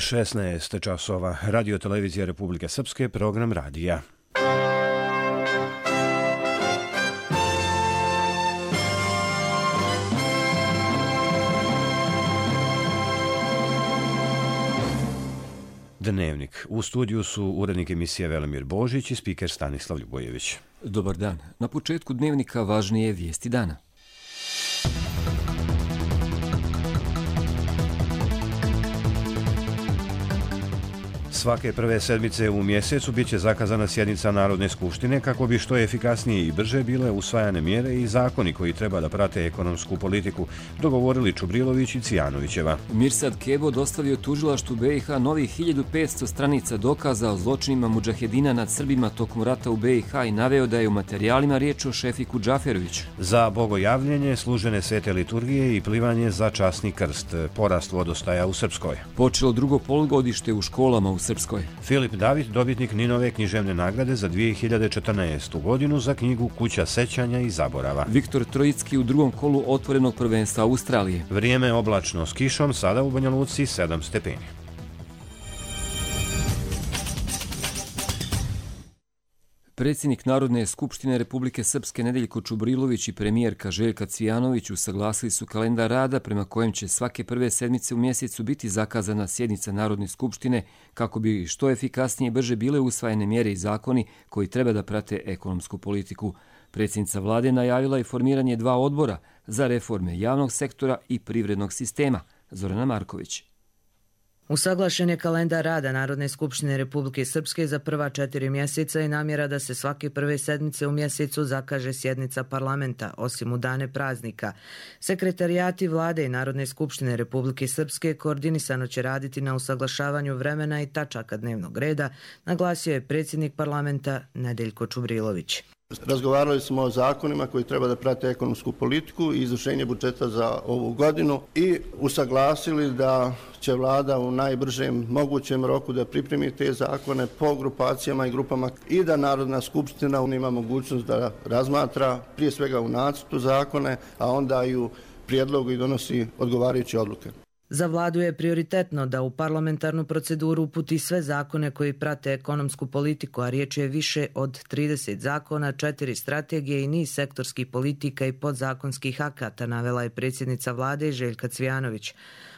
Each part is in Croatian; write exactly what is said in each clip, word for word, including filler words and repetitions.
šesnaest časova. Radio televizija Republike Srpske, program radija. Dnevnik. U studiju su urednik emisije Velimir Božić i spiker Stanislav Ljubojević. Dobar dan. Na početku dnevnika važnije vijesti dana. Svake prve sedmice u mjesecu bit će zakazana sjednica Narodne skupštine kako bi što efikasnije i brže bile usvajane mjere i zakoni koji treba da prate ekonomsku politiku, dogovorili Čubrilović i Cijanovićeva. Mirsad Kebo dostavio tužilaštvu B i H novih hiljadu petsto stranica dokaza o zločinima mudžahedina nad Srbima tokom rata u B i H i naveo da je u materijalima riječ o Šefiku Džaferoviću. Za bogojavljenje, služene svete liturgije i plivanje za časni krst. Porast vodostaja u Srpskoj. Počelo drugo polugodište u školama u Srpskoj. Filip David, dobitnik Ninove književne nagrade za dvije hiljade četrnaestu. godinu za knjigu Kuća sećanja i zaborava. Viktor Trojicki u drugom kolu otvorenog prvenstva Australije. Vrijeme oblačno s kišom, sada u Banja Luci sedam stepeni. Predsjednik Narodne skupštine Republike Srpske Nedeljko Čubrilović i premijerka Željka Cvijanović usaglasili su kalendar rada prema kojem će svake prve sedmice u mjesecu biti zakazana sjednica Narodne skupštine kako bi što efikasnije i brže bile usvajene mjere i zakoni koji treba da prate ekonomsku politiku. Predsjednica vlade najavila i formiranje dva odbora za reforme javnog sektora i privrednog sistema. Zorana Marković. Usaglašen je kalendar rada Narodne skupštine Republike Srpske za prva četiri mjeseca i namjera da se svake prve sedmice u mjesecu zakaže sjednica parlamenta, osim u dane praznika. Sekretarijati vlade i Narodne skupštine Republike Srpske koordinisano će raditi na usaglašavanju vremena i tačaka dnevnog reda, naglasio je predsjednik parlamenta Nedeljko Čubrilović. Razgovarali smo o zakonima koji treba da prate ekonomsku politiku i izvršenje budžeta za ovu godinu i usaglasili da će vlada u najbržem mogućem roku da pripremi te zakone po grupacijama i grupama i da Narodna skupština ima mogućnost da razmatra prije svega u nacrtu zakone, a onda i u prijedlogu i donosi odgovarajuće odluke. Za vladu je prioritetno da u parlamentarnu proceduru uputi sve zakone koji prate ekonomsku politiku, a riječ je više od trideset zakona, četiri strategije i niz sektorskih politika i podzakonskih akata, navela je predsjednica vlade Željka Cvijanović.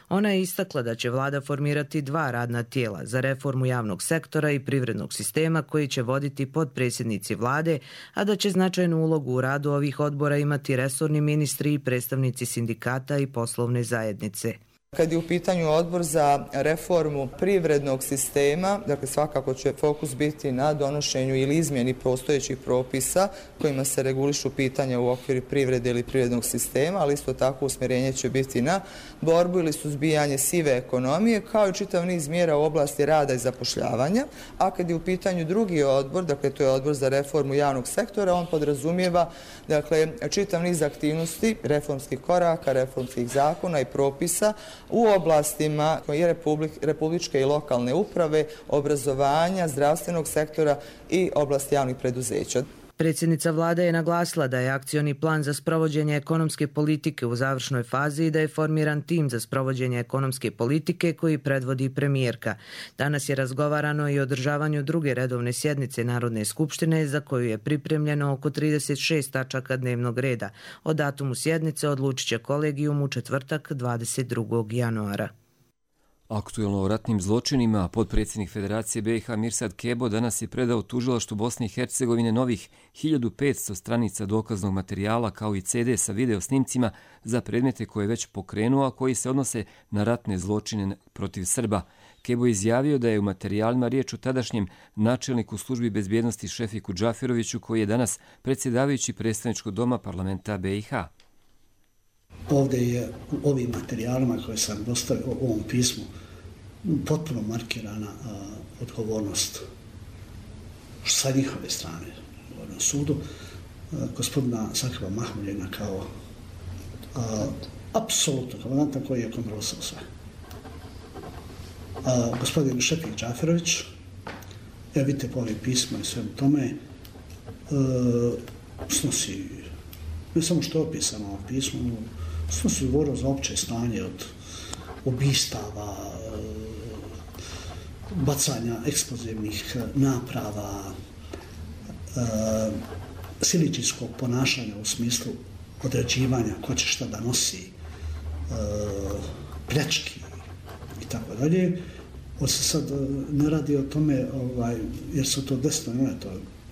Ona je istakla da će vlada formirati dva radna tijela za reformu javnog sektora i privrednog sistema koji će voditi potpredsjednici vlade, a da će značajnu ulogu u radu ovih odbora imati resorni ministri i predstavnici sindikata i poslovne zajednice. Kad je u pitanju odbor za reformu privrednog sistema, dakle svakako će fokus biti na donošenju ili izmjeni postojećih propisa kojima se regulišu pitanja u okviru privrede ili privrednog sistema, ali isto tako usmjerenje će biti na borbu ili suzbijanje sive ekonomije, kao i čitav niz mjera u oblasti rada i zapošljavanja. A kad je u pitanju drugi odbor, dakle to je odbor za reformu javnog sektora, on podrazumijeva dakle čitav niz aktivnosti, reformskih koraka, reformskih zakona i propisa u oblastima koje republičke i lokalne uprave, obrazovanja, zdravstvenog sektora i oblasti javnih preduzeća. Predsjednica vlade je naglasila da je akcioni plan za sprovođenje ekonomske politike u završnoj fazi i da je formiran tim za sprovođenje ekonomske politike koji predvodi premijerka. Danas je razgovarano i o održavanju druge redovne sjednice Narodne skupštine za koju je pripremljeno oko trideset šest tačaka dnevnog reda. O datumu sjednice odlučit će kolegijum u četvrtak dvadeset drugog januara. Aktuelno o ratnim zločinima, potpredsjednik Federacije B i H Mirsad Kebo danas je predao tužilaštvu Bosne i Hercegovine novih hiljadu petsto stranica dokaznog materijala kao i ce de sa video snimcima za predmete koje je već pokrenuo, a koji se odnose na ratne zločine protiv Srba. Kebo je izjavio da je u materijalima riječ o tadašnjem načelniku službi bezbjednosti Šefiku Džaferoviću koji je danas predsjedavajući predstavničkog doma parlamenta B i H. Ovdje je u ovim materijalima koje sam dostavio u ovom pismu potpuno markirana a, odgovornost sa njihove strane na sudu a, gospodina Sakhiba Mahmuljena kao a, apsolutno komandanta koji je kontrolisao sve. A, gospodin Šefik Džaferović, ja vidite po ovim pisma i svemu tome, a, snosi, ne samo što je opisano u pismu, snosi odgovornost za opće stanje od ubistava, bacanja eksplozivnih naprava, siličijskog ponašanja u smislu određivanja ko će šta da nosi, pljački i tako dalje. Ovo se sad ne radi o tome ovaj, jer su to desno, ne, to,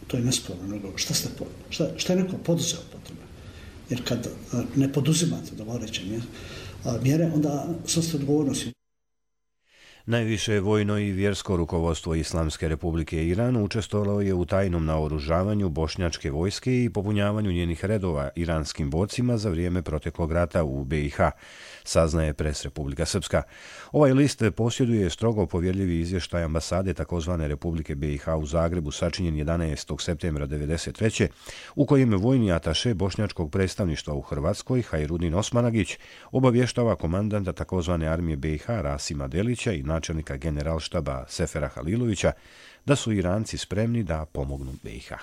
to je nesporno, nego šta, ste, šta, šta je neko poduzeo po tome. Jer kad ne poduzimate dovoreće mjere, onda snoste odgovornosti. Najviše vojno i vjersko rukovodstvo Islamske republike Iran učestvovalo je u tajnom naoružavanju bošnjačke vojske i popunjavanju njenih redova iranskim borcima za vrijeme proteklog rata u B i H, saznaje Pres Republika Srpska. Ovaj list posjeduje strogo povjerljivi izvještaj ambasade takozvane Republike B i H u Zagrebu sačinjen jedanaestog septembra devedeset treće u kojem vojni ataše bošnjačkog predstavništva u Hrvatskoj Hajrudin Osmanagić obavještava komandanta takozvane armije B i H Rasima Delića i načelnika generalštaba Sefera Halilovića da su Iranci spremni da pomognu B i H.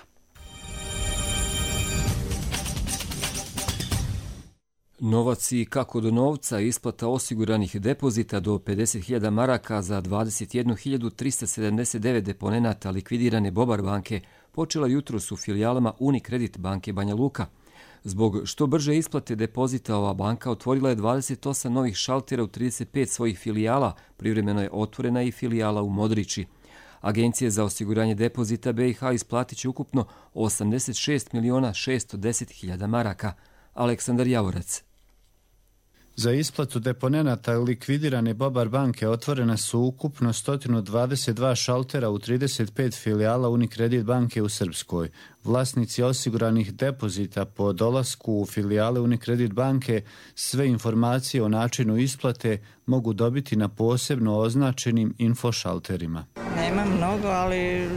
Novac i kako do novca, isplata osiguranih depozita do pedeset hiljada maraka za dvadeset jednu hiljadu trista sedamdeset devet deponenata likvidirane Bobar banke počela jutros u filijalama Unicredit banke Banja Luka. Zbog što brže isplate depozita ova banka otvorila je dvadeset osam novih šaltera u trideset pet svojih filijala, privremeno je otvorena i filijala u Modriči. Agencije za osiguranje depozita B i H isplatit će ukupno osamdeset šest miliona šesto deset hiljada maraka. Aleksandar Javorac. Za isplatu deponenata likvidirane Bobar banke otvorena su ukupno sto dvadeset dva šaltera u trideset pet filijala Unicredit banke u Srpskoj. Vlasnici osiguranih depozita po dolasku u filijale Unicredit banke sve informacije o načinu isplate mogu dobiti na posebno označenim infošalterima. Nema mnogo, ali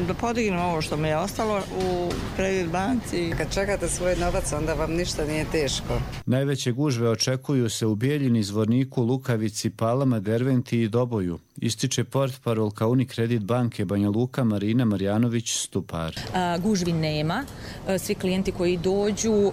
da podignem ovo što mi je ostalo u Kredit banci. Kad čekate svoj novac, onda vam ništa nije teško. Najveće gužve očekuju se u Bijeljini, Zvorniku, Lukavici, Palama, Derventi i Doboju. Ističe portparolka Unicredit banke Banja Luka Marina Marjanović-Stupar. A, gužvi nema. Svi klijenti koji dođu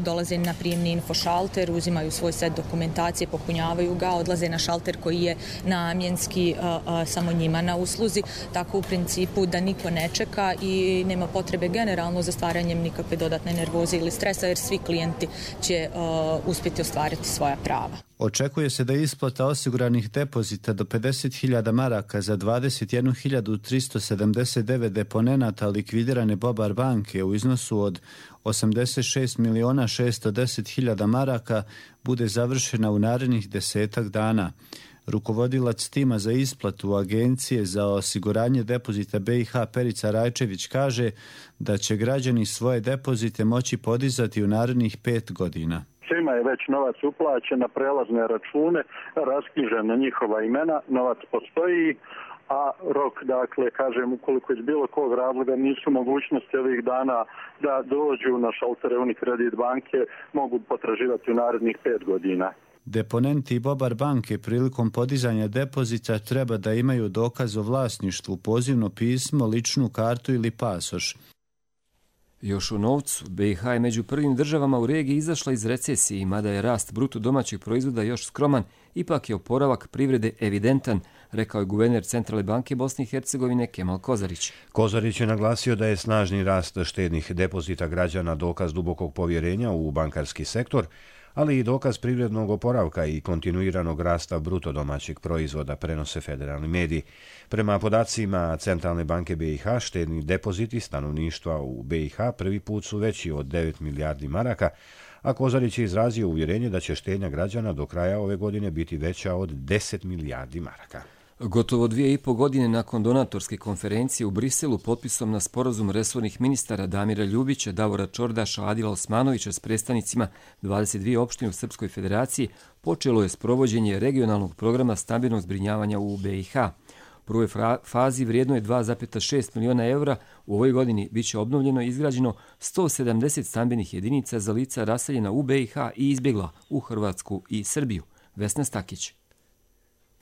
dolaze na prijemni infošalter, uzimaju svoj set dokumentacije, popunjavaju ga, odlaze na šalter koji je namjenski a, a, samo njima na usluzi. Tako u principu da niko ne čeka i nema potrebe generalno za stvaranjem nikakve dodatne nervoze ili stresa, jer svi klijenti će a, uspjeti ostvariti svoja prava. Očekuje se da isplata osiguranih depozita do pedeset hiljada maraka za dvadeset jednu hiljadu tristo sedamdeset devet deponenata likvidirane Bobar banke u iznosu od osamdeset šest miliona šesto deset hiljada maraka bude završena u narednih desetak dana. Rukovodilac tima za isplatu Agencije za osiguranje depozita B i H Perica Rajčević kaže da će građani svoje depozite moći podizati u narednih pet godina. Svima je već novac uplaćen na prelazne račune, rasknjižen na njihova imena, novac postoji, a rok, dakle, kažem, ukoliko iz bilo kog razloga nisu mogućnosti ovih dana da dođu na šaltere Unicredit banke, mogu potraživati u narednih pet godina. Deponenti Bobar banke prilikom podizanja depozita treba da imaju dokaz o vlasništvu, pozivno pismo, ličnu kartu ili pasoš. Još u novcu, B i H je među prvim državama u regiji izašla iz recesije i mada je rast bruto domaćeg proizvoda još skroman, ipak je oporavak privrede evidentan, rekao je guverner Centralne banke Bosne i Hercegovine Kemal Kozarić. Kozarić je naglasio da je snažni rast štednih depozita građana dokaz dubokog povjerenja u bankarski sektor, ali i dokaz privrednog oporavka i kontinuiranog rasta bruto domaćeg proizvoda, prenose federalni mediji. Prema podacima Centralne banke B i H, štedni depoziti stanovništva u B i H prvi put su veći od devet milijardi maraka, a Kozarić je izrazio uvjerenje da će štednja građana do kraja ove godine biti veća od deset milijardi maraka. Gotovo dvije i po godine nakon donatorske konferencije u Briselu potpisom na sporazum resornih ministara Damira Ljubića, Davora Čordaša, Adila Osmanovića s predstavnicima dvadeset dvije opštine u Srpskoj federaciji počelo je sprovođenje regionalnog programa stambenog zbrinjavanja u B i H. U prvoj fazi vrijedno je dva zarez šest miliona evra. U ovoj godini bit će obnovljeno i izgrađeno sto sedamdeset stambenih jedinica za lica raseljena u B i H i izbjegla u Hrvatsku i Srbiju. Vesna Stakić.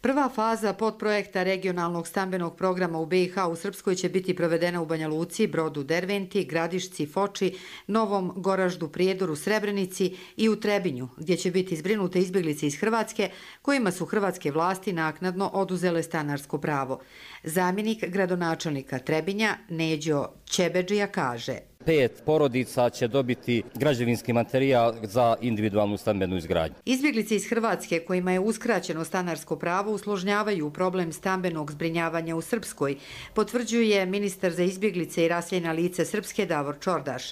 Prva faza podprojekta regionalnog stambenog programa u be i ha u Srpskoj će biti provedena u Banja Luci, Brodu, Derventi, Gradišci, Foči, Novom Goraždu, Prijedoru, Srebrenici i u Trebinju, gdje će biti zbrinute izbjeglice iz Hrvatske, kojima su hrvatske vlasti naknadno oduzele stanarsko pravo. Zamjenik gradonačelnika Trebinja, Neđo Ćebedžija, kaže: Pet porodica će dobiti građevinski materijal za individualnu stambenu izgradnju. Izbjeglice iz Hrvatske kojima je uskraćeno stanarsko pravo usložnjavaju problem stambenog zbrinjavanja u Srpskoj, potvrđuje ministar za izbjeglice i raseljena lica Srpske Davor Čordaš.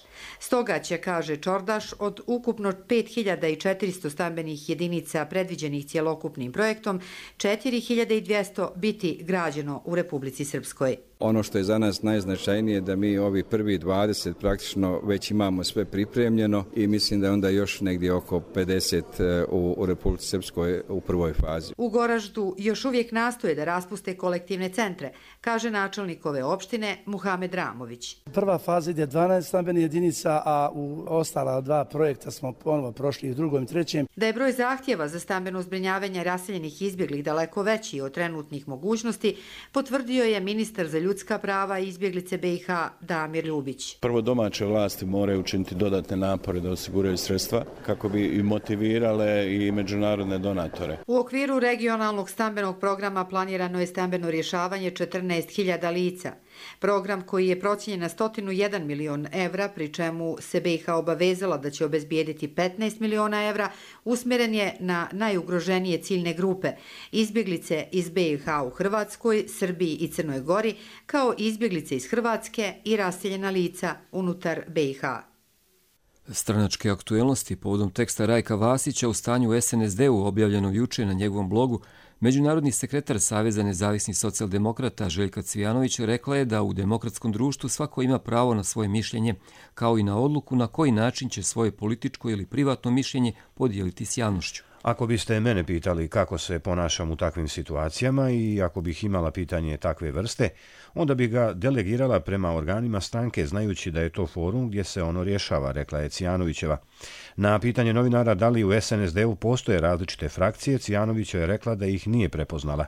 Stoga će, kaže Čordaš, od ukupno pet hiljada četiristo stambenih jedinica predviđenih cjelokupnim projektom, četiri hiljade dvjesto biti građeno u Republici Srpskoj. Ono što je za nas najznačajnije je da mi ovi prvi dvadeset praktično već imamo sve pripremljeno i mislim da je onda još negdje oko pedeset u, u Republici Srpskoj u prvoj fazi. U Goraždu još uvijek nastoje da raspuste kolektivne centre, kaže načelnik ove opštine Muhamed Ramović. Prva faza ide dvanaest stambenih jedinica, a u ostala dva projekta smo ponovo prošli u drugom i trećem. Da je broj zahtjeva za stambeno zbrinjavanje raseljenih izbjeglih daleko veći od trenutnih mogućnosti, potvrdio je ministar za ljudska prava i izbjeglice be i ha Damir Ljubić. Prvo, domaće vlasti moraju učiniti dodatne napore da osiguraju sredstva kako bi i motivirale i međunarodne donatore. U okviru regionalnog stambenog programa planirano je stambeno rješavanje četrnaest hiljada lica. Program koji je procijenjen na sto jedan milion evra, pri čemu se be i ha obavezala da će obezbijediti petnaest miliona evra, usmjeren je na najugroženije ciljne grupe, izbjeglice iz be i ha u Hrvatskoj, Srbiji i Crnoj Gori, kao izbjeglice iz Hrvatske i raseljena lica unutar be i ha. Stranačke aktuelnosti povodom teksta Rajka Vasića u stanju u es en es de-u objavljenom juče na njegovom blogu, međunarodni sekretar Saveza nezavisnih socijaldemokrata Željka Cvijanović rekla je da u demokratskom društvu svako ima pravo na svoje mišljenje, kao i na odluku na koji način će svoje političko ili privatno mišljenje podijeliti s javnošću. Ako biste mene pitali kako se ponašam u takvim situacijama i ako bih imala pitanje takve vrste, onda bi ga delegirala prema organima stranke, znajući da je to forum gdje se ono rješava, rekla je Cvijanovićeva. Na pitanje novinara da li u es en es de-u postoje različite frakcije, Cvijanovićeva je rekla da ih nije prepoznala.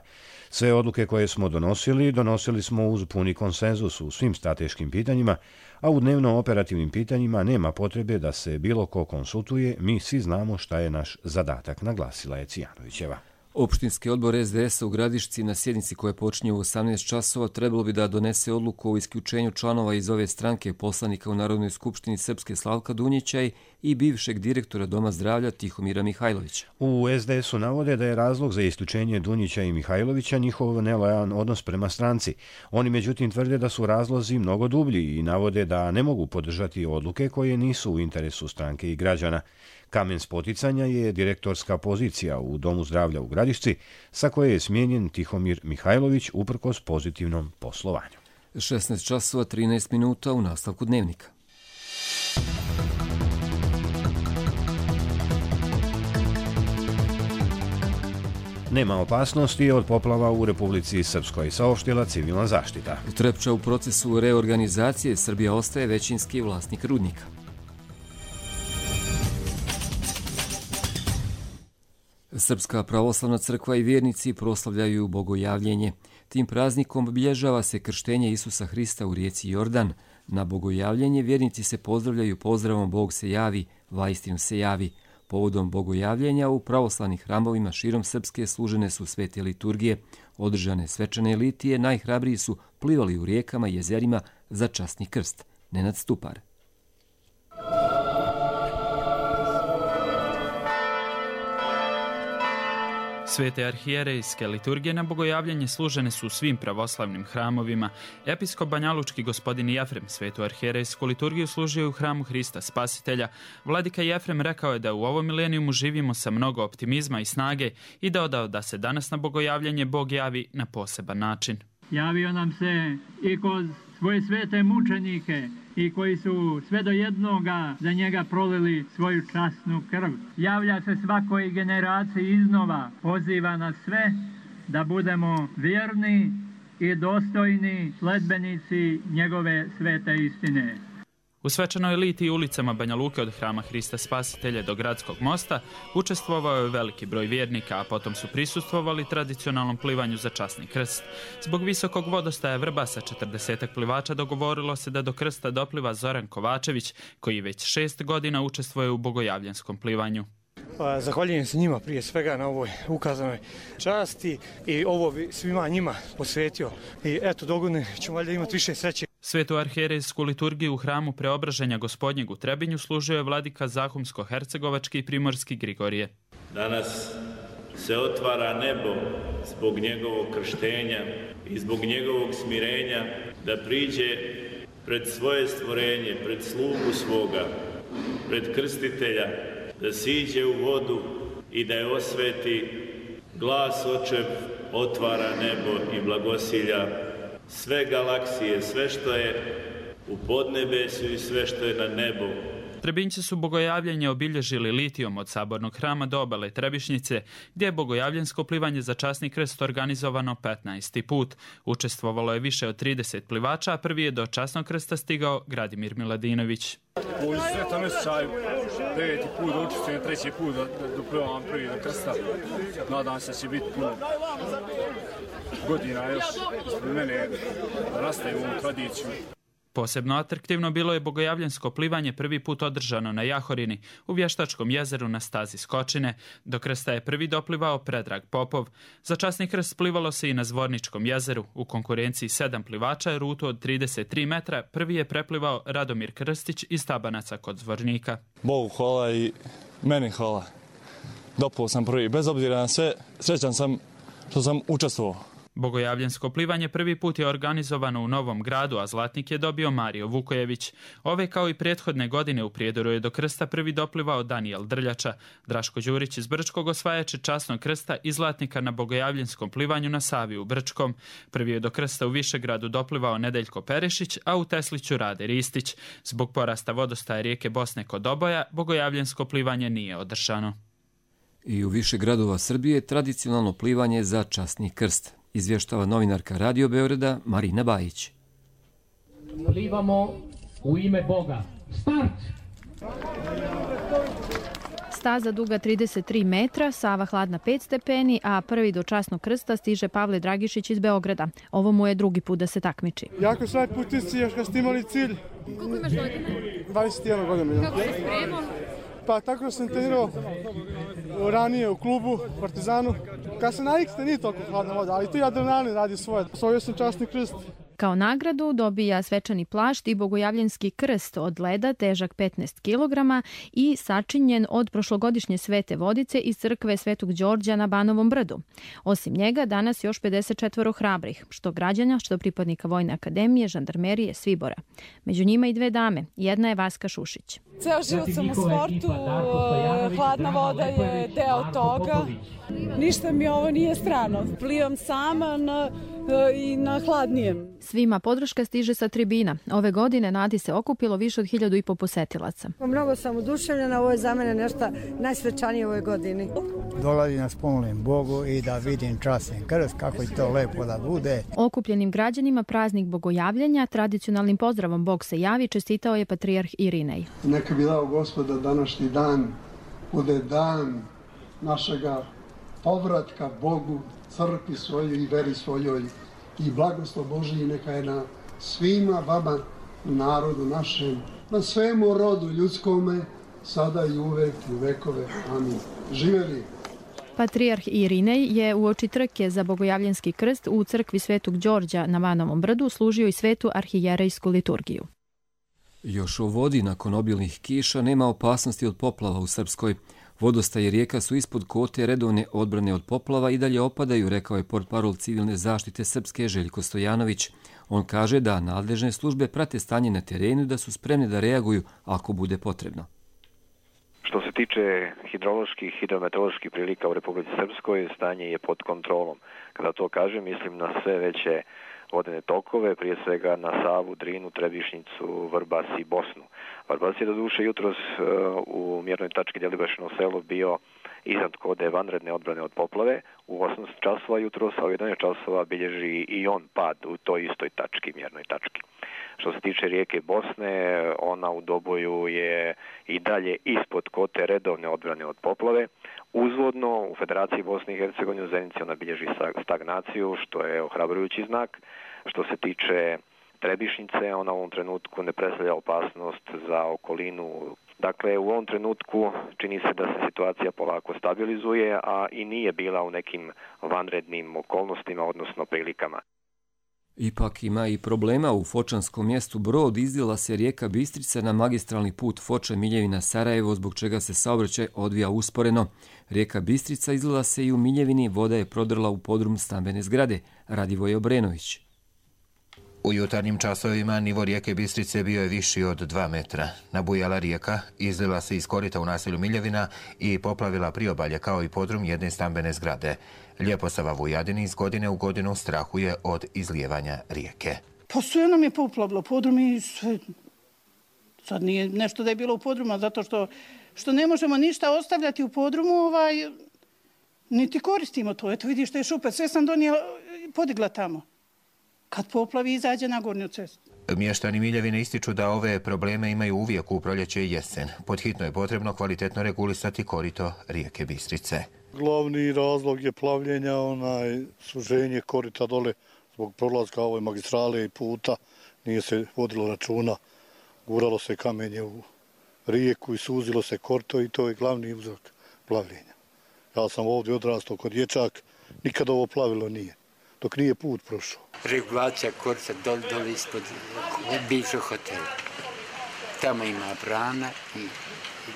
Sve odluke koje smo donosili, donosili smo uz puni konsenzus u svim strateškim pitanjima, a u dnevno operativnim pitanjima nema potrebe da se bilo ko konsultuje, mi svi znamo šta je naš zadatak, naglasila je Cvijanovićeva. Opštinski odbor es de es-a u Gradišci na sjednici koja počinje u osamnaest časova trebalo bi da donese odluku o isključenju članova iz ove stranke, poslanika u Narodnoj skupštini Srpske Slavka Dunjića i bivšeg direktora Doma zdravlja Tihomira Mihajlovića. U es de es-u navode da je razlog za isključenje Dunjića i Mihajlovića njihov nelojalan odnos prema stranci. Oni međutim tvrde da su razlozi mnogo dublji i navode da ne mogu podržati odluke koje nisu u interesu stranke i građana. Kamen spoticanja je direktorska pozicija u Domu zdravlja u Gradišci, sa koje je smijenjen Tihomir Mihajlović uprkos pozitivnom poslovanju. šesnaest časova trinaest minuta u nastavku dnevnika. Nema opasnosti od poplava u Republici Srpskoj, saopštila civilna zaštita. Trepča u procesu reorganizacije, Srbija ostaje većinski vlasnik rudnika. Srpska pravoslavna crkva i vjernici proslavljaju bogojavljenje. Tim praznikom obilježava se krštenje Isusa Hrista u rijeci Jordan. Na bogojavljenje vjernici se pozdravljaju pozdravom Bog se javi, vaistinu se javi. Povodom bogojavljenja u pravoslavnim hramovima širom Srpske služene su svete liturgije. Održane svečane litije najhrabriji su plivali u rijekama i jezerima za časni krst. Nenad Stupar. Svete arhijerejske liturgije na bogojavljanje služene su u svim pravoslavnim hramovima. Episkop banjalučki gospodin Jefrem svetu arhijerejsku liturgiju služio u hramu Hrista Spasitelja. Vladika Jefrem rekao je da u ovom milenijumu živimo sa mnogo optimizma i snage i dodao da se danas na bogojavljanje Bog javi na poseban način. Javio nam se i kroz svoje svete mučenike i koji su sve do jednoga za njega prolili svoju časnu krv. Javlja se svakoj generaciji iznova, poziva nas sve da budemo vjerni i dostojni sledbenici njegove svete istine. U svečanoj litiji ulicama Banja Luke od Hrama Hrista Spasitelja do Gradskog mosta učestvovao je veliki broj vjernika, a potom su prisustvovali tradicionalnom plivanju za časni krst. Zbog visokog vodostaja Vrbasa četrdesetak plivača dogovorilo se da do krsta dopliva Zoran Kovačević, koji već šest godina učestvuje u bogojavljenskom plivanju. Zahvaljujem se njima prije svega na ovoj ukazanoj časti i ovo bi svima njima posvetio. I eto, dogodine ćemo valjda imati više sreće. Svetu arhijerejsku liturgiju u hramu Preobraženja Gospodnjeg u Trebinju služio je vladika Zahumsko-hercegovački i primorski Grigorije. Danas se otvara nebo zbog njegovog krštenja i zbog njegovog smirenja da priđe pred svoje stvorenje, pred slugu svoga, pred krstitelja, da siđe u vodu i da je osveti. Glas očev otvara nebo i blagosilja sve galaksije, sve što je u podnebesu i sve što je na nebu. Trebinjci su bogojavljenje obilježili litijom od Sabornog hrama do obale Trebišnjice, gdje je bogojavljensko plivanje za časni krst organizovano petnaesti put. Učestvovalo je više od trideset plivača, a prvi je do časnog krsta stigao Gradimir Miladinović. U svetom osjećaju deveti put da učestvujem, treći put da doplivam prvi do krsta. Nadam se da će biti puno godina još ispred mene da nastavim ovu tradiciju. Posebno atraktivno bilo je bogojavljensko plivanje prvi put održano na Jahorini, u Vještačkom jezeru na stazi Skočine. Do krsta je prvi doplivao Predrag Popov. Za časni krst plivalo se i na Zvorničkom jezeru. U konkurenciji sedam plivača rutu od trideset tri metra prvi je preplivao Radomir Krstić iz Tabanaca kod Zvornika. Bogu hvala i meni hvala. Doplivao sam prvi. Bez obzira na sve, srećan sam što sam učestvovao. Bogojavljensko plivanje prvi put je organizovano u Novom Gradu, a zlatnik je dobio Mario Vukojević. Ove kao i prethodne godine u Prijedoru je do krsta prvi doplivao Danijel Drljača. Draško Đurić iz Brčkog osvajač je časnog krsta i zlatnika na bogojavljenskom plivanju na Savi u Brčkom. Prvi je do krsta u Višegradu doplivao Nedeljko Perešić, a u Tesliću Rade Ristić. Zbog porasta vodostaja rijeke Bosne kod Oboja, bogojavljensko plivanje nije održano. I u više gradova Srbije tradicionalno plivanje za časni krst. Izvještava novinarka Radio Beograda Marina Bajić. Plivamo u ime Boga. Start! Staza duga trideset tri metra, Sava hladna pet stepeni, a prvi do časnog krsta stiže Pavle Dragišić iz Beograda. Ovo mu je drugi put da se takmiči. Jako svoj putici, još kad ste imali cilj. Koliko imaš godina? dvadeset jedan godina. Kako se spremao? Pa tako sam trenirao ranije u klubu, Partizanu. Kad se navikste nije toliko hladna voda, ali tu i adrenalin radi svoje. Osvojio sam časni krst. Kao nagradu dobija svečani plašt i bogojavljenski krst od leda težak petnaest kilograma i sačinjen od prošlogodišnje svete vodice iz crkve Svetog Đorđa na Banovom brdu. Osim njega danas još pedeset četiri hrabrih, što građana, što pripadnika Vojne akademije, žandarmerije, Svibora. Među njima i dve dame, jedna je Vaska Šušić. Ceo život sam u sportu, hladna voda je deo toga. Ništa mi ovo nije strano. Plivam sama na, i na hladnijem. Svima podrška stiže sa tribina. Ove godine Nadi se okupilo više od hiljadu i po posetilaca. Mnogo sam oduševljena, ovo je za mene nešto najsvečanije u ovoj godini. Dolazim da spomenem Bogu i da vidim časni krst, kako je to lepo da bude. Okupljenim građanima praznik bogojavljenja tradicionalnim pozdravom Bog se javi čestitao je patrijarh Irinej. Neka bi dao Gospod da današnji dan bude dan našega povratka Bogu, crkvi svojoj i veri svojoj i blagoslov Božiji neka je na svima vama, narodu našem, na svemu rodu ljudskome, sada i uvek i vekove. Amin. Živjeli! Patrijarh Irinej je uoči trke za bogojavljenski krst u crkvi Svetog Đorđa na Banovom brdu služio i svetu arhijerejsku liturgiju. Još o vodi nakon obilnih kiša nema opasnosti od poplava u Srpskoj. Vodostaje rijeka su ispod kote redovne odbrane od poplava i dalje opadaju, rekao je portparol civilne zaštite Srpske Željko Stojanović. On kaže da nadležne službe prate stanje na terenu i da su spremne da reaguju ako bude potrebno. Što se tiče hidroloških i hidrometeoroloških prilika u Republici Srpskoj, stanje je pod kontrolom. Kada to kažem, mislim na sve veće vodene tokove, prije svega na Savu, Drinu, Trebišnjicu, Vrbas i Bosnu. Vrbas je do duše jutros u mjernoj tački Djelibašino selo bio iznad kode vanredne odbrane od poplave. U osam časova jutros, a u jedanaest časova bilježi i on pad u toj istoj tački, mjernoj tački. Što se tiče rijeke Bosne, ona u Doboju je i dalje ispod kote redovne odbrane od poplave. Uzvodno u Federaciji Bosne i Hercegovine u Zenici ona bilježi stagnaciju, što je ohrabrujući znak. Što se tiče Trebišnice, ona u ovom trenutku ne predstavlja opasnost za okolinu. Dakle, u ovom trenutku čini se da se situacija polako stabilizuje, a i nije bila u nekim vanrednim okolnostima, odnosno prilikama. Ipak ima i problema. U fočanskom mjestu Brod izdjela se rijeka Bistrica na magistralni put Foča-Miljevina-Sarajevo, zbog čega se saobraćaj odvija usporeno. Rijeka Bistrica izlila se i u Miljevini, voda je prodrla u podrum stambene zgrade. Radivoj Obrenović. U jutarnjim časovima nivo rijeke Bistrice bio je viši od dva metra. Nabujala rijeka, izlila se iz korita u naselju Miljevina i poplavila priobalje kao i podrum jedne stambene zgrade. Ljeposava Vujadini iz godine u godinu strahuje od izlijevanja rijeke. Pa sve nam je poplavilo podrum i sve. Sad nije nešto da je bilo u podrumu, zato što, što ne možemo ništa ostavljati u podrumu, ovaj, niti koristimo to. Eto vidiš što je šupe, sve sam donijela, podigla tamo. Kad poplavi, izađe na gornju cestu. Mještani Miljevine ističu da ove probleme imaju uvijek u proljeće i jesen. Podhitno je potrebno kvalitetno regulisati korito rijeke Bistrice. Glavni razlog je plavljenja, onaj suženje korita dole zbog prolaska ove magistrale i puta. Nije se vodilo računa, guralo se kamenje u rijeku i suzilo se korito i to je glavni uzrok plavljenja. Ja sam ovdje odrastao kod dječak, nikad ovo plavilo nije, dok nije put prošao. Regulacija korita dole, dole ispod bivšeg hotela. Tamo ima brana i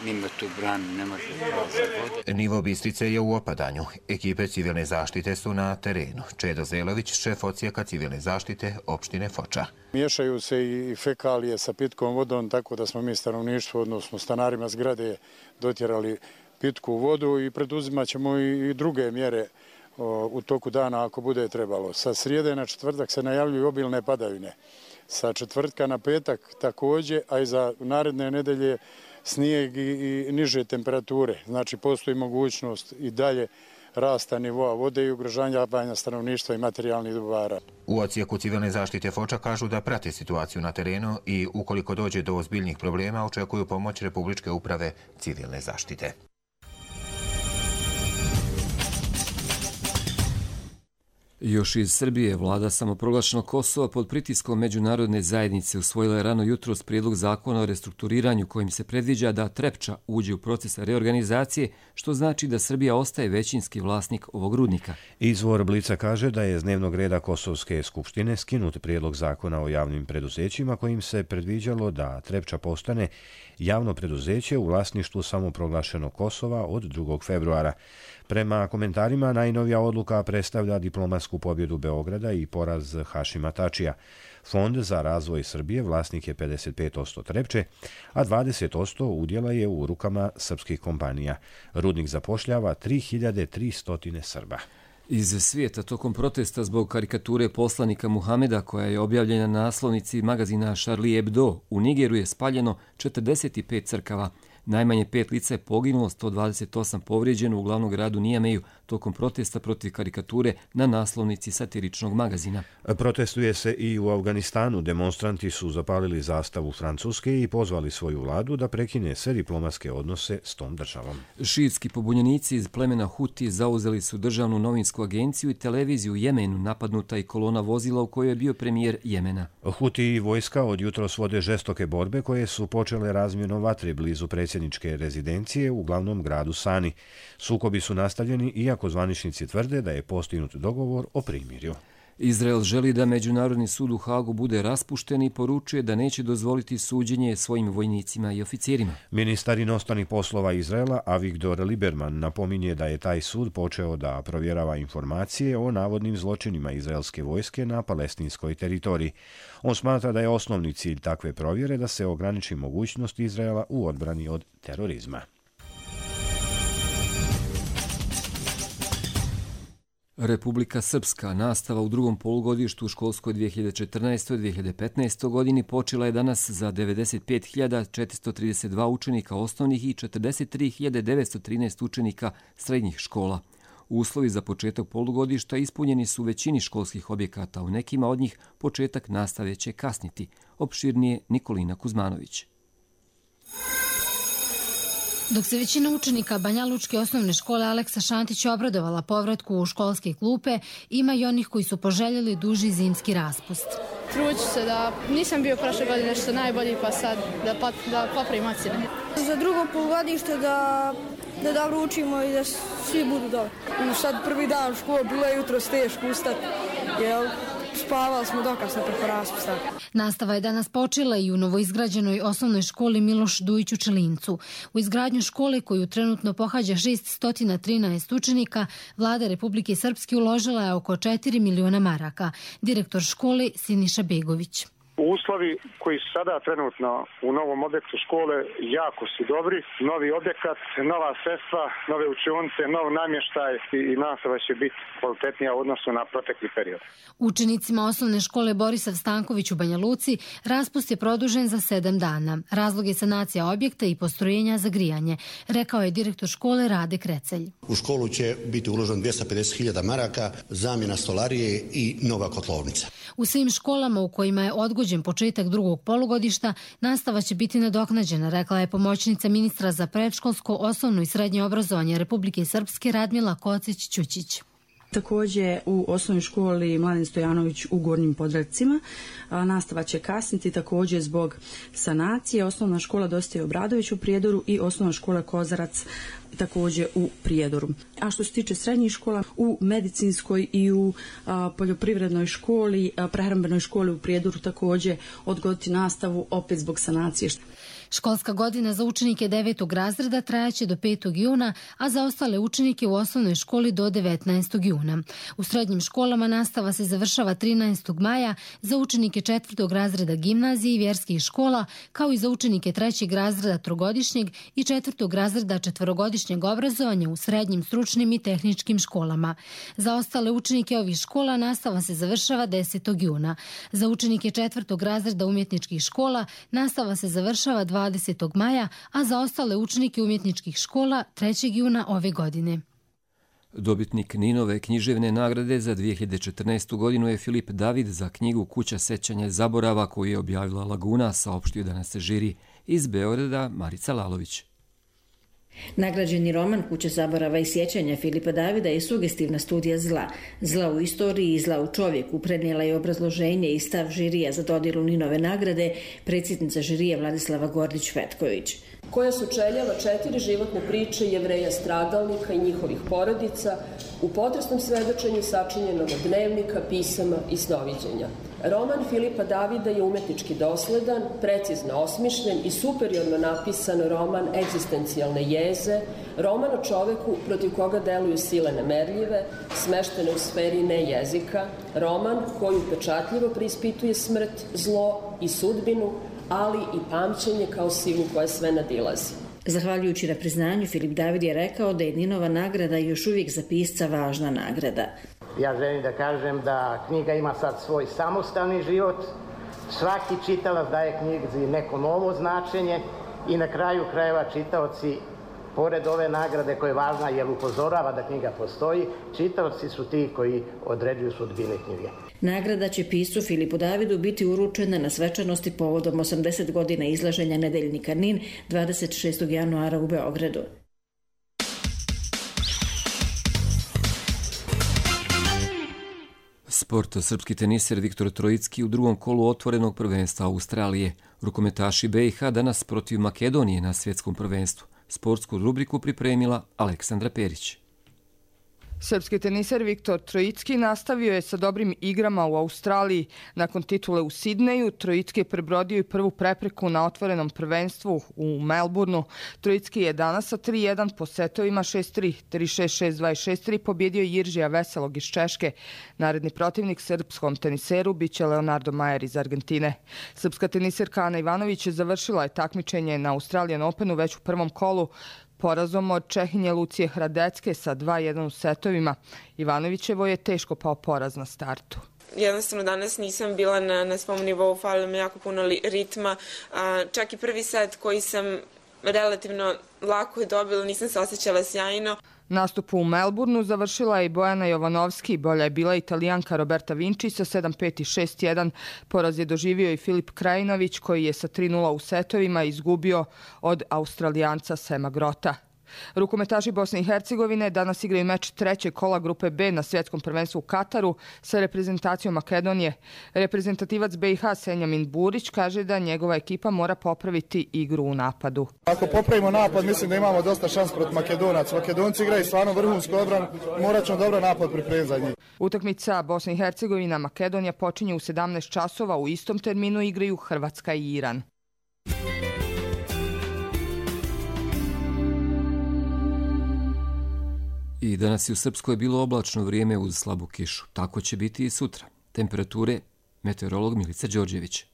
mimo tu branu ne može prolaziti vode. Nivo Bistrice je u opadanju. Ekipe civilne zaštite su na terenu. Čedo Zelović, šef odsjeka civilne zaštite opštine Foča. Miješaju se i fekalije sa pitkom vodom, tako da smo mi stanovništvo, odnosno stanarima zgrade, dotjerali pitku vodu i preduzimat ćemo i druge mjere u toku dana ako bude trebalo. Sa srijede na četvrtak se najavljuju obilne padavine. Sa četvrtka na petak također, a i za naredne nedelje snijeg i niže temperature. Znači postoji mogućnost i dalje rasta nivoa vode i ugrožavanja stanovništva i materijalnih dobara. U odsjeku civilne zaštite Foča kažu da prate situaciju na terenu i ukoliko dođe do ozbiljnih problema očekuju pomoć Republičke uprave civilne zaštite. Još iz Srbije, vlada samoproglašenog Kosova pod pritiskom međunarodne zajednice usvojila je rano jutros prijedlog zakona o restrukturiranju kojim se predviđa da Trepča uđe u proces reorganizacije, što znači da Srbija ostaje većinski vlasnik ovog rudnika. Izvor Blica kaže da je s dnevnog reda Kosovske skupštine skinut prijedlog zakona o javnim preduzećima kojim se predviđalo da Trepča postane javno preduzeće u vlasništvu samoproglašenog Kosova od drugog februara. Prema komentarima, najnovija odluka predstavlja diplomatsku pobjedu Beograda i poraz Hašima Tačija. Fond za razvoj Srbije vlasnik je pedeset pet posto Trepče, a dvadeset posto udjela je u rukama srpskih kompanija. Rudnik zapošljava tri hiljade tristo Srba. Iz svijeta tokom protesta zbog karikature poslanika Muhameda koja je objavljena na naslovnici magazina Charlie Hebdo, u Nigeru je spaljeno četrdeset pet crkava. Najmanje pet lica je poginulo, sto dvadeset osam povrijeđeno u glavnom gradu Nijameju tokom protesta protiv karikature na naslovnici satiričnog magazina. Protestuje se i u Afganistanu. Demonstranti su zapalili zastavu Francuske i pozvali svoju vladu da prekine sve diplomatske odnose s tom državom. Šiitski pobunjenici iz plemena Huti zauzeli su državnu novinsku agenciju i televiziju u Jemenu, napadnuta i kolona vozila u kojoj je bio premijer Jemena. Huti i vojska od jutros vode žestoke borbe koje su počele razmjenom vatre blizu predsjedničke rezidencije u glavnom gradu Sani. Sukobi su nastavljeni iako zvaničnici tvrde da je postignut dogovor o primirju. Izrael želi da Međunarodni sud u Hagu bude raspušten i poručuje da neće dozvoliti suđenje svojim vojnicima i oficirima. Ministar inostranih poslova Izraela Avigdor Lieberman napominje da je taj sud počeo da provjerava informacije o navodnim zločinima izraelske vojske na palestinskoj teritoriji. On smatra da je osnovni cilj takve provjere da se ograniči mogućnost Izraela u odbrani od terorizma. Republika Srpska, nastava u drugom polugodištu u školskoj dvije hiljade četrnaestoj dvije hiljade petnaestoj godini počela je danas za devedeset pet hiljada četiristo trideset dva učenika osnovnih i četrdeset tri hiljade devetsto trinaest učenika srednjih škola. Uslovi za početak polugodišta ispunjeni su u većini školskih objekata, u nekima od njih početak nastave će kasniti. Opširnije Nikolina Kuzmanović. Dok se većina učenika Banjalučke osnovne škole Aleksa Šantić obradovala povratku u školske klupe, ima i onih koji su poželjeli duži zimski raspust. Truću se da nisam bio prošle godine što najbolji, pa sad da, pa, da popravim ocjene. Za drugo polugodište da, da dobro učimo i da svi budu dobro. I sad prvi dan u školu, bilo je jutro teško ustati, jel? Spavali smo dokasno preko raspusta. Nastava je danas počela i u novoizgrađenoj osnovnoj školi Miloš Dujić u Čelincu. U izgradnju škole koju trenutno pohađa šessto trinaest učenika, Vlada Republike Srpske uložila je oko četiri miliona maraka. Direktor škole Siniša Begović. Uslovi koji su sada trenutno u novom objektu škole jako su dobri. Novi objekat, nova sredstva, nove učionice, nov namještaj i nastava će biti kvalitetnija u odnosu na protekli period. Učenicima osnovne škole Borisav Stanković u Banja Luci raspust je produžen za sedam dana. Razlog je sanacija objekta i postrojenja za grijanje, rekao je direktor škole Rade Krecelj. U školu će biti uloženo dvjesto pedeset hiljada maraka, zamjena stolarije i nova kotlovnica. U svim školama u kojima je odgođen početak drugog polugodišta, nastava će biti nadoknađena, rekla je pomoćnica ministra za predškolsko, osnovno i srednje obrazovanje Republike Srpske Radmila Kocić-Ćućić. Također u osnovnoj školi Mladen Stojanović u Gornjim Podravcima nastava će kasniti također zbog sanacije. Osnovna škola Dositej Obradović u Prijedoru i osnovna škola Kozarac također u Prijedoru. A što se tiče srednjih škola, u medicinskoj i u a, poljoprivrednoj školi, a, prehrambenoj školi u Prijedoru također odgoditi nastavu opet zbog sanacije. Školska godina za učenike devetog razreda trajaće do petog juna, a za ostale učenike u osnovnoj školi do devetnaestog juna. U srednjim školama nastava se završava trinaestog maja za učenike četvrtog razreda gimnazije i vjerskih škola, kao i za učenike trećeg razreda trogodišnjeg i četvrtog razreda četvorogodišnjeg obrazovanja u srednjim, stručnim i tehničkim školama. Za ostale učenike ovih škola nastava se završava desetog juna. Za učenike četvrtog razreda umjetničkih škola nastava se završava dvadesetog maja, a za ostale učenike umjetničkih škola trećeg juna ove godine. Dobitnik Ninove književne nagrade za dvije hiljade četrnaestu godinu je Filip David za knjigu Kuća sećanja zaborava koju je objavila Laguna, saopštio danas žiri. Iz Beograda Marica Lalović. Nagrađeni roman Kuća zaborava i sjećanja Filipa Davida je sugestivna studija zla. Zla u istoriji i zla u čovjeku prenijela je obrazloženje i stav žirija za dodjelu Ninove nagrade predsjednica žirija Vladislava Gordić-Vetković. Koja sučeljava četiri životne priče Jevreja stradalnika i njihovih porodica u potresnom svedočenju sačinjenog od dnevnika, pisama i snoviđenja. Roman Filipa Davida je umetnički dosledan, precizno osmišljen i superiorno napisan roman egzistencijalne jeze, roman o čoveku protiv koga deluju sile nemerljive, smeštene u sferi ne jezika, roman koji upečatljivo preispituje smrt, zlo i sudbinu, ali i pamćenje kao silu koja sve nadilazi. Zahvaljujući na priznanju, Filip David je rekao da je Ninova nagrada još uvijek za pisca važna nagrada. Ja želim da kažem da knjiga ima sad svoj samostalni život, svaki čitalac daje knjizi neko novo značenje i na kraju krajeva čitaoci, pored ove nagrade koja je važna jer upozorava da knjiga postoji, čitaoci su ti koji određuju sudbine knjige. Nagrada će piscu Filipu Davidu biti uručena na svečanosti povodom osamdeset godina izlaženja nedeljnika Nin dvadeset šestog januara u Beogradu. Sport. Srpski teniser Viktor Trojicki u drugom kolu otvorenog prvenstva Australije. Rukometaši B i H danas protiv Makedonije na svjetskom prvenstvu. Sportsku rubriku pripremila Aleksandra Perić. Srpski teniser Viktor Trojicki nastavio je sa dobrim igrama u Australiji. Nakon titule u Sidneju, Trojicki je prebrodio i prvu prepreku na otvorenom prvenstvu u Melbourneu. Trojicki je danas sa tri jedan po setovima šest tri, tri šest, šest dva i šest tri pobjedio Jiržija Veselog iz Češke. Naredni protivnik srpskom teniseru biće Leonardo Majer iz Argentine. Srpska teniserka Ana Ivanović završila je takmičenje na Australian Openu već u prvom kolu porazom od Čehinje Lucije Hradecke sa dva jedan u setovima. Ivanovićevo je teško pao poraz na startu. Jednostavno danas nisam bila na, na svom nivou, falilo mi jako puno ritma. A, čak i prvi set koji sam relativno lako je dobila, nisam se osjećala sjajno. Nastup u Melbourneu završila je i Bojana Jovanovski, bolja je bila Italijanka Roberta Vinci sa sedam pet i šest jedan. Poraz je doživio i Filip Krajinović koji je sa tri nula u setovima izgubio od Australijanca Sema Grota. Rukometaši Bosne i Hercegovine danas igraju meč trećeg kola grupe B na svjetskom prvenstvu u Kataru sa reprezentacijom Makedonije. Reprezentativac B i H Senjamin Burić kaže da njegova ekipa mora popraviti igru u napadu. Ako popravimo napad, mislim da imamo dosta šans protiv Makedonaca. Makedonci igraju stvarno vrhunsku odbranu, morat ćemo dobro napad pripremiti za njih. Utakmica Bosna i Hercegovina Makedonija počinje u sedamnaest časova, u istom terminu igraju Hrvatska i Iran. I danas je u Srpskoj bilo oblačno vrijeme uz slabu kišu. Tako će biti i sutra. Temperature, meteorolog Milica Đorđević.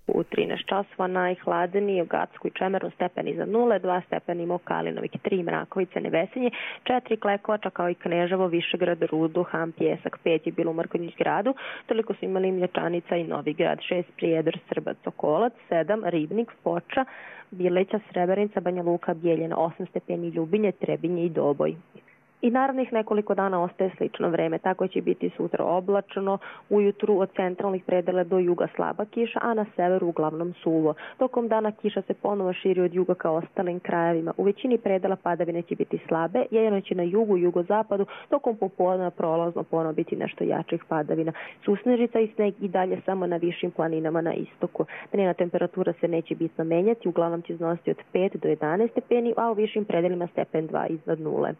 U trinaest časova najhladnije u Gacku i Čemeru stepeni za nule, dva stepeni Mokalinovik, tri Mrakovice, Nevesinje, četiri Klekovača kao i Kneževo, Višegrad, Rudu, Han, Pjesak, pet je bilo u Mrkonjić gradu, toliko su imali Mljačanica i Novi grad, šest Prijedor, Srbac, Sokolac, sedam Ribnik, Foča, Bileća, Srebrenica, Banja Luka, Bijeljina, osam stepeni Ljubinje, Trebinje i Doboj. I narednih nekoliko dana ostaje slično vreme, tako će biti sutra oblačno, ujutru od centralnih predela do juga slaba kiša, a na severu uglavnom suvo. Tokom dana kiša se ponovo širi od juga ka ostalim krajevima. U većini predela padavine će biti slabe, jedino će na jugu i jugozapadu, tokom popodneva prolazno ponovo biti nešto jačih padavina. Susnežica i sneg i dalje samo na višim planinama na istoku. Dnevna temperatura se neće bitno menjati, uglavnom će iznositi od pet do jedanaest stepeni, a u višim predelima stepen dva iznad nule.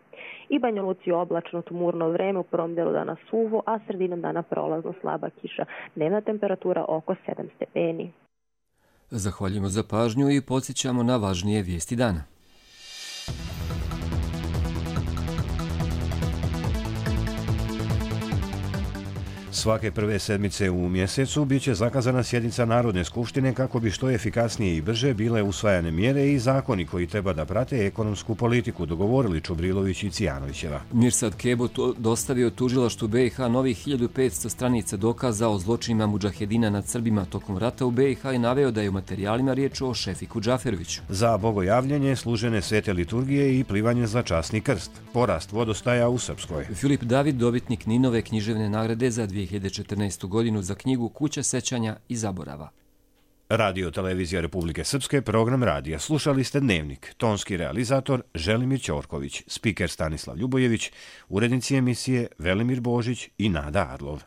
I Banja Luci oblačno tmurno vreme, u prvom delu dana suvo, a sredinom dana prolazno slaba kiša. Dnevna temperatura oko sedam stepeni. Zahvaljujemo za pažnju i podsjećamo na važnije vijesti dana. Svake prve sedmice u mjesecu bit će zakazana sjednica Narodne skupštine kako bi što efikasnije i brže bile usvajane mjere i zakoni koji treba da prate ekonomsku politiku, dogovorili Čubrilović i Cijanovićeva. Mirsad Kebo dostavio tužilaštvu B i H novih hiljadu petsto stranica dokaza o zločinima mudžahedina nad Srbima tokom rata u B i H i naveo da je u materijalima riječ o Šefiku Džaferoviću. Za bogojavljanje, služene svete liturgije i plivanje za časni krst. Porast vodostaja u Srpskoj. Filip David, dobitnik Ninove književne nagrade za dvije hiljade četrnaestu. godinu za knjigu Kuća sećanja i zaborava. Radio Televizija Republike Srpske, program radija. Slušali ste Dnevnik. Tonski realizator Želimir Ćorković, spiker Stanislav Ljubojević, urednici emisije Velimir Božić i Nada Arlov.